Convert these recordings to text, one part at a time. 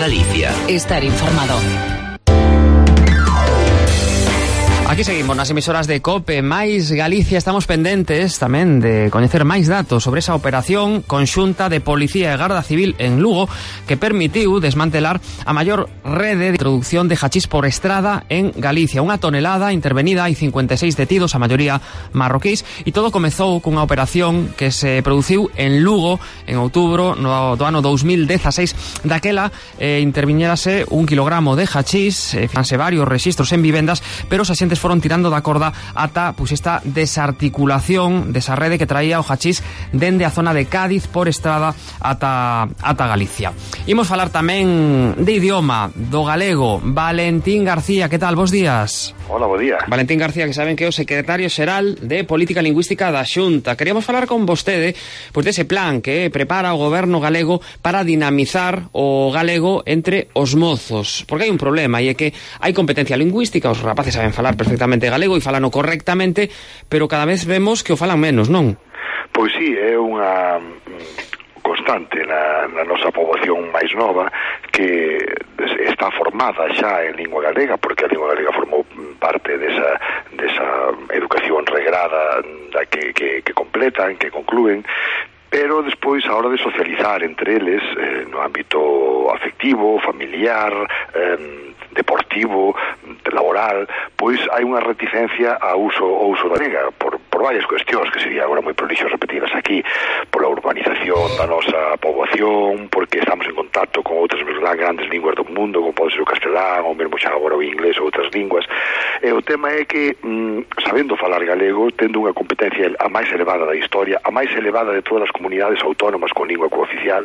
Galicia. Estar informado. Aquí seguimos nas emisoras de COPE máis Galicia. Estamos pendentes tamén de coñecer máis datos sobre esa operación conxunta de Policía e Garda Civil en Lugo que permitiu desmantelar a maior rede de introducción de hachís por estrada en Galicia. 1 tonelada intervenida, hai 56 detidos, a maioría marroquís, e todo comezou cunha operación que se produciu en Lugo en outubro do ano 2016. Daquela interviñérase 1 kilogramo de hachís, fanse varios rexistros en vivendas, pero os axentes foron tirando da corda ata esta desarticulación desa rede que traía o hachís dende a zona de Cádiz por estrada ata Galicia. Imos falar tamén de idioma, do galego. Valentín García, que tal? Bos días. Hola, bo día. Valentín García, que saben que é o secretario xeral de Política Lingüística da Xunta. Queríamos falar con vostede pois dese plan que prepara o goberno galego para dinamizar o galego entre os mozos. Porque hai un problema, e é que hai competencia lingüística, os rapaces saben falar perfectamente galego e falano correctamente, pero cada vez vemos que o falan menos, non? Pois sí, é unha constante na nosa poboación máis nova que está formada xa en lingua galega, porque a lingua galega formou parte desa educación regrada da que completan, que conclúen, pero despois a hora de socializar entre eles no ámbito afectivo, familiar, deportivo, laboral, pois hai unha reticencia ao uso da galega por varias cuestións que sería agora moi prolixo repetidas aquí, pola urbanización da nosa poboación, porque estamos en contacto con outras grandes linguas do mundo, como pode ser o castelán, ou mesmo xa agora o inglés ou outras linguas. E o tema é que, sabendo falar galego, tendo unha competencia a máis elevada da historia, a máis elevada de todas as comunidades autónomas con lingua cooficial,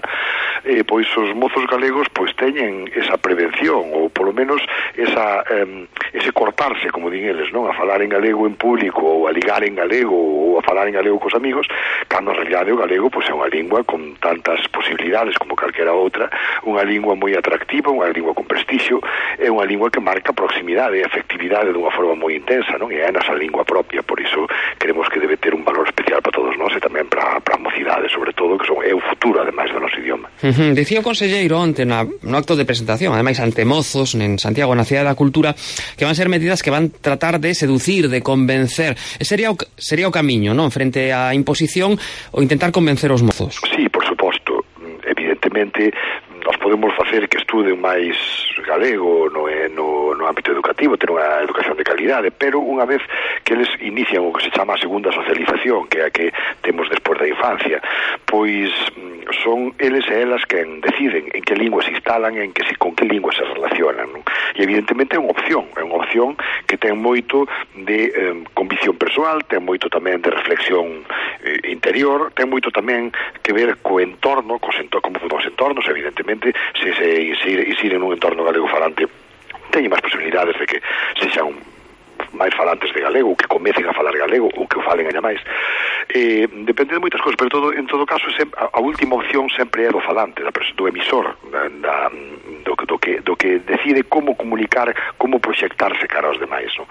pois os mozos galegos pois teñen esa prevención, ou polo menos ese cortarse, como din eles, non? A falar en galego en público, ou a ligar en galego, ou a falar en galego cos amigos, cando en realidade o galego pois é unha lingua con tantas posibilidades como calquera outra, unha lingua moi atractiva, unha lingua con prestixio, é unha lingua que marca proximidade e afectividade dunha forma moi intensa, non? E é a nosa lingua propia, por iso queremos que debe ter un valor especial para todos nós e tamén para a mocidade, sobre todo, que é o futuro, ademais, do noso idioma. Dicía o conselleiro onte no acto de presentación, ademais ante mozos en Santiago, na Cidade da Cultura, que van ser medidas que van tratar de seducir, de convencer. Sería o camiño, non? Frente á imposición, ou intentar convencer os mozos. Sí, por suposto. Evidentemente, nós podemos facer que estuden máis galego no ámbito educativo, ter unha educación de calidade, pero unha vez que eles inician o que se chama a segunda socialización, que é a que temos despois da infancia, pois son eles e elas quen deciden en que lingua se instalan e con que lingua se relacionan, non? E evidentemente é unha opción que ten moito de convicción persoal, ten moito tamén de reflexión interior, ten moito tamén que ver co entorno, como son os entornos, evidentemente, se insiren nun entorno galego falante, teñen máis posibilidades de que sexan máis falantes de galego, ou que comecen a falar galego, ou que o falen ainda máis. Depende de moitas cousas, pero en todo caso a última opción sempre é do falante, do emisor, do que decide como comunicar, como proxectarse cara aos demais, non?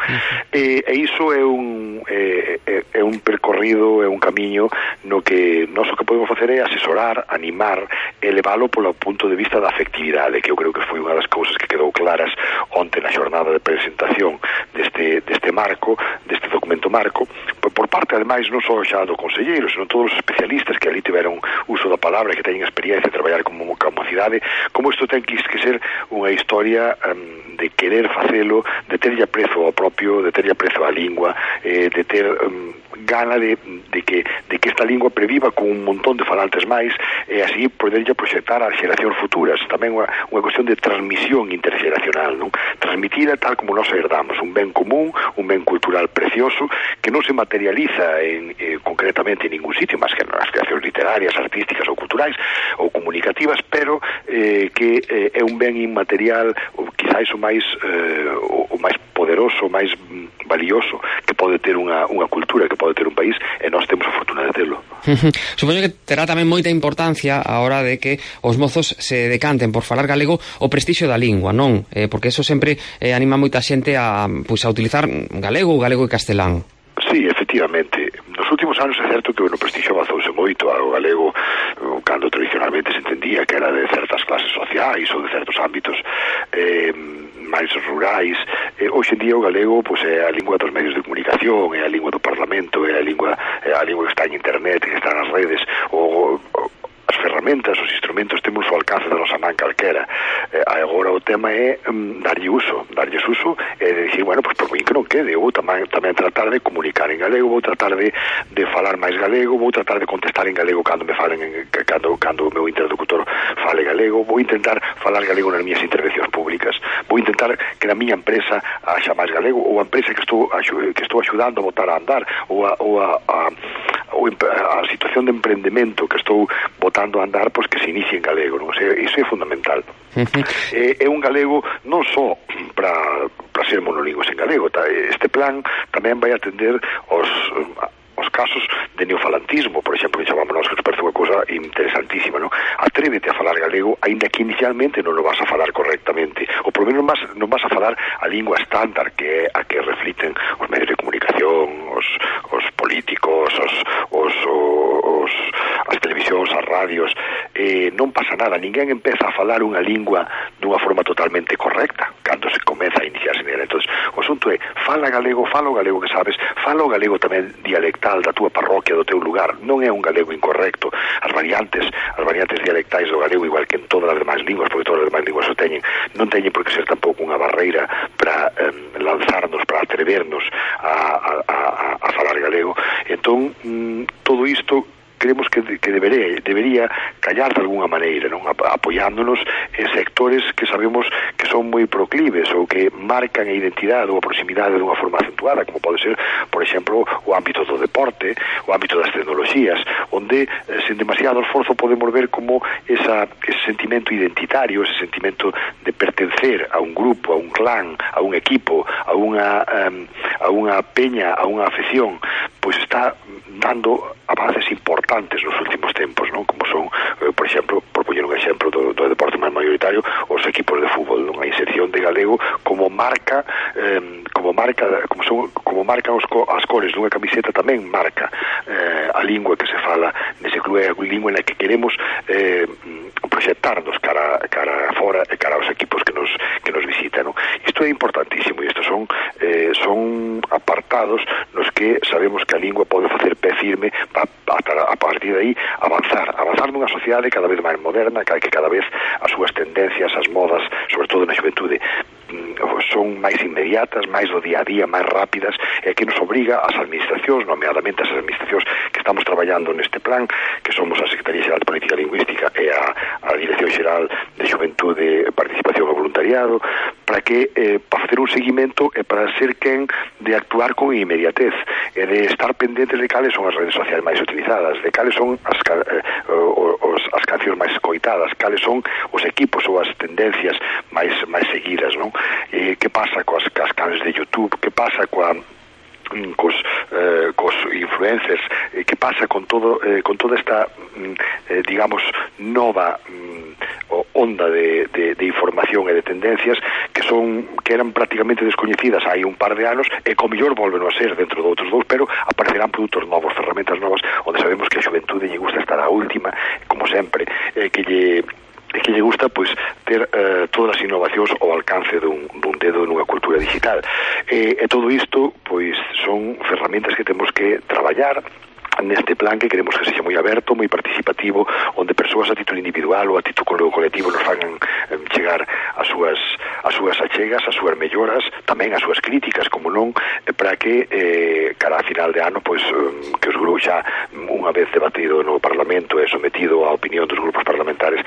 E iso é un percorrido, é un camiño no que nós o que podemos facer é asesorar, animar, elevalo polo punto de vista da afectividade, que eu creo que foi unha das cousas que quedou claras onte na xornada de presentación deste marco, deste documento marco, por parte, ademais, non só xa do conselleiro, senón todos os especialistas que ali tiveron uso da palabra e que teñen experiencia de traballar como mocidade, como isto ten que ser unha historia de querer facelo, de terlle aprezo ao propio, de terlle aprezo á lingua, de ter gana de que esta lingua previva con un montón de falantes máis e así poderlle proxectar ás xeracións futuras. Tamén unha cuestión de transmisión interxeracional, non? Transmitida tal como nos herdamos, un ben común, un ben cultural precioso que non se materializa concretamente en ningún sitio, máis que nas creacións literarias, artísticas ou culturais ou comunicativas, pero que é un ben inmaterial, ou quizáis o máis poderoso, o máis valioso que pode ter unha cultura, que pode ter un país, e nós temos a fortuna de telo. Supoño que terá tamén moita importancia a hora de que os mozos se decanten por falar galego o prestixio da lingua, non? Porque eso sempre anima moita xente a utilizar galego e castelán. Sí, efectivamente. Nos últimos últimos anos é certo que o prestixio avanzouse moito ao galego, cando tradicionalmente se entendía que era de certas clases sociais ou de certos ámbitos máis rurais. Hoxe en día o galego é a lingua dos medios de comunicación, é a lingua do Parlamento, é a lingua que está en internet, que está nas redes, as ferramentas, os instrumentos temos ao alcance da nosa man calquera. Agora o tema é darlles uso e dicir, bueno, pois por mí que non quede, vou tamén tratar de comunicar en galego, vou tratar de falar máis galego, vou tratar de contestar en galego cando me falen cando o meu interlocutor fale galego, vou intentar falar galego nas miñas intervencións públicas, vou intentar que na miña empresa haxa máis galego, ou a empresa que estou axudando a botar a andar, ou a situación de emprendemento que estou botando a andar, pois que se inicie en galego, non? Iso é fundamental. É un galego non só para ser monolingües en galego, este plan tamén vai atender os casos de neofalantismo, por exemplo, que chamamos nós, que nos parece unha cousa interesantísima, non? Atrévete a falar galego, aínda que inicialmente non o vas a falar correctamente, ou por menos non vas a falar a lingua estándar que é a que refliten os medios de comunicación, os políticos, as televisións, as radios. Non pasa nada, ninguén empeza a falar unha lingua dunha forma totalmente correcta cando se comeza a iniciarse nela. Entón, o asunto é, fala o galego que sabes, fala o galego tamén dialectal da túa parroquia, do teu lugar, non é un galego incorrecto. As variantes dialectais do galego, igual que en todas as demais linguas, porque todas as demais linguas o teñen, non teñen por que ser tampouco unha barreira para lanzarnos, para atrevernos a falar galego. Entón, todo isto creemos que debería callar de alguna maneira, non? Apoiándonos en sectores que sabemos que son moi proclives ou que marcan a identidade ou a proximidade dunha forma acentuada, como pode ser, por exemplo, o ámbito do deporte, o ámbito das tecnoloxías, onde sen demasiado esforzo podemos ver como ese sentimento identitario, ese sentimento de pertencer a un grupo, a un clan, a un equipo, a unha peña, a unha afección, pois está dando avances importantes nos últimos tempos, non? Como son, por exemplo, por poñer un exemplo do deporte máis maioritario, os equipos de fútbol, non? A inserción de galego como marca, como marcan as cores dunha camiseta, tamén marca a lingua que se fala nese club, é a lingua na que queremos proxectarnos cara fora e cara aos equipos que nos visitan, non? Isto é importantísimo, e estos son apartados nos que sabemos que a lingua pode facer pé firme a partir de aí avanzar nunha sociedade cada vez máis moderna, que cada vez as súas tendencias, as modas, sobre todo na xuventude, son máis inmediatas, máis do día a día, máis rápidas, e que nos obriga as administracións, nomeadamente as administracións que estamos traballando neste plan, que somos a Secretaría Xeral de Política Lingüística e a Dirección Xeral de Xuventude, Participación e Voluntariado, para facer un seguimento e para ser quen de actuar con inmediatez e de estar pendentes de cales son as redes sociais máis utilizadas, de cales son as cancións máis escoitadas, cales son os equipos ou as tendencias máis seguidas, non? Que pasa coas canales de YouTube, que pasa cos influencers, que pasa con toda esta digamos nova onda de información e de tendencias que eran prácticamente descoñecidas hai un par de anos e co mellor volven a ser dentro de outros dous, pero aparecerán produtos novos, ferramentas novas, onde sabemos que a xuventude lle gusta estar a última, como sempre, que lle gusta pois ter todas as innovacións ao alcance dun dedo nunha cultura digital, e todo isto pois son ferramentas que temos que traballar neste plan, que queremos que sexa moi aberto, moi participativo, onde persoas a título individual ou a título colectivo nos fagan chegar as súas achegas, as súas melloras, tamén as súas críticas, como non, para que cara a final de ano, pois que os grupos xa unha vez debatido no Parlamento e sometido á opinión dos grupos parlamentares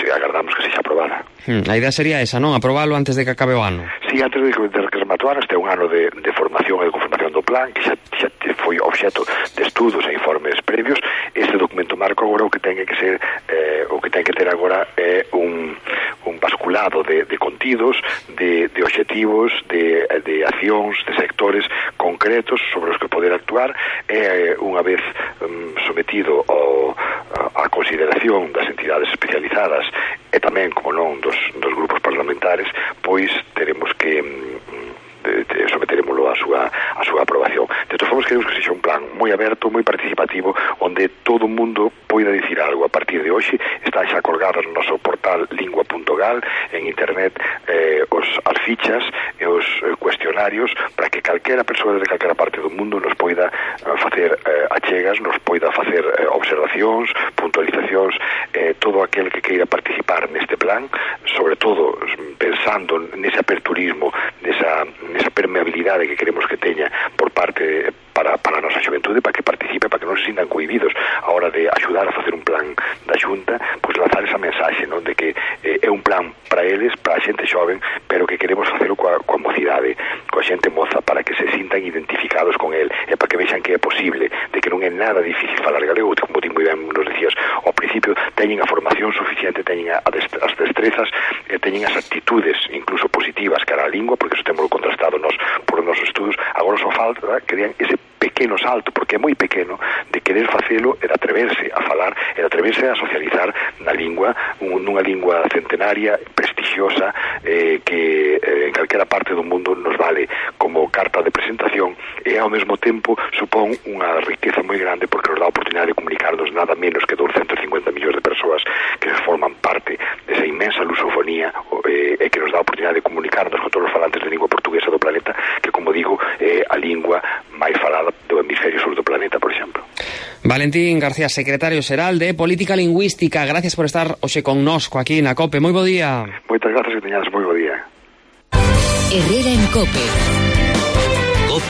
agardamos que sexa aprobada. A idea sería esa, non? Aprobalo antes de que acabe o ano. Sí, antes de que remate o ano. Este é un ano de formación e de conformación do plan, que xa foi obxeto de estudos e informes previos. Este documento marco agora o que ten que ser o que ten que ter agora é un basculado de contidos, de obxectivos, de accións, de sectores concretos sobre os que poder actuar, e unha vez sometido a consideración das entidades especializadas e tamén, como non, dos grupos parlamentares, pois teremos que someteremoslo a súa aprobación. De todas formas, queremos que sexa un plan moi aberto, moi participativo, onde todo o mundo poida dicir algo. A partir de hoxe están xa colgados no noso portal lingua.gal, en internet, as fichas e os cuestionarios para que calquera persoa de calquera parte do mundo nos poida facer achegas, nos poida facer observacións, puntualizacións, todo aquel que queira participar neste plan, sobre todo pensando nese aperturismo, nesa permeabilidade que queremos que teña por parte para a nosa xuventude, para que participe, para que non se sintan cohibidos a hora de axudar a facer un plan da Xunta, pois lanzar esa mensaxe, non, de que é un plan para eles, para a xente xoven, pero que queremos facelo coa mocidade, coa xente moza, para que se sintan identificados con el, e para que vexan que é posible, de que non é nada difícil falar galego, como ti moi ben nos decías ao principio, teñen a formación suficiente, teñen as destrezas, teñen as actitudes incluso positivas cara á lingua, porque iso temos contrastado por os nosos estudos. Agora só falta que den ese pequeno salto, porque é moi pequeno, de querer facelo e de atreverse a falar e de atreverse a socializar na lingua, nunha lingua centenaria, prestigiosa, que en calquera parte do mundo nos vale como carta de presentación, e ao mesmo tempo supón unha riqueza moi grande, porque nos dá a oportunidade de comunicarnos nada menos que 250 millóns de persoas que forman parte desa inmensa lusofonía, e que nos dá a oportunidade de comunicarnos con todos os falantes de lingua portuguesa do planeta, que, como digo, é a lingua máis falada do hemisferio sur do planeta, por exemplo. Valentín García, secretario xeral de Política Lingüística, gracias por estar hoxe connosco aquí na COPE. Moi bo día. Moitas gracias, que teñades moi bo día. Herrera en COPE.